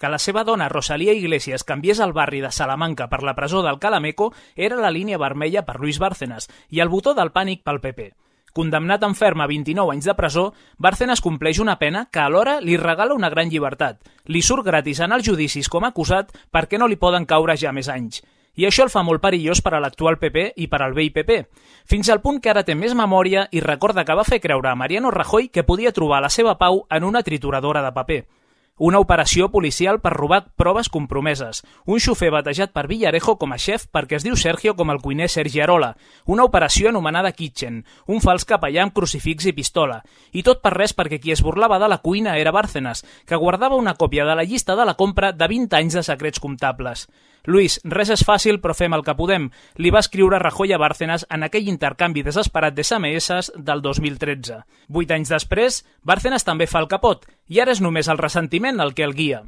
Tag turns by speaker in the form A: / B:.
A: Que la seva dona, Rosalía Iglesias, canviés el barri de Salamanca per la presó d'Alcalá Meco era la línia vermella per Luis Bárcenas i el botó del pànic pel PP. Condemnat en ferm a 29 anys de presó, Bárcenas compleix una pena que alhora li regala una gran llibertat. Li surt gratis en els judicis com a acusat perquè no li poden caure ja més anys. I això el fa molt perillós per a l'actual PP i per al vell PP, fins al punt que ara té més memòria i recorda que va fer creure a Mariano Rajoy que podia trobar la seva pau en una trituradora de paper. Una operació policial per robar proves compromeses, un xofer batejat per Villarejo com a xef perquè es diu Sergio com el cuiner Sergi Arola, una operació anomenada Kitchen, un fals capellà amb crucifix i pistola, i tot per res perquè qui es burlava de la cuina era Bárcenas, que guardava una còpia de la llista de la compra de 20 anys de secrets comptables. Luis, res és fàcil però fem el que podem, li va escriure Rajoy a Bárcenas en aquell intercanvi desesperat de SMS del 2013. 8 anys després, Bárcenas també fa el capot, i ara és només el ressentiment el que el guia.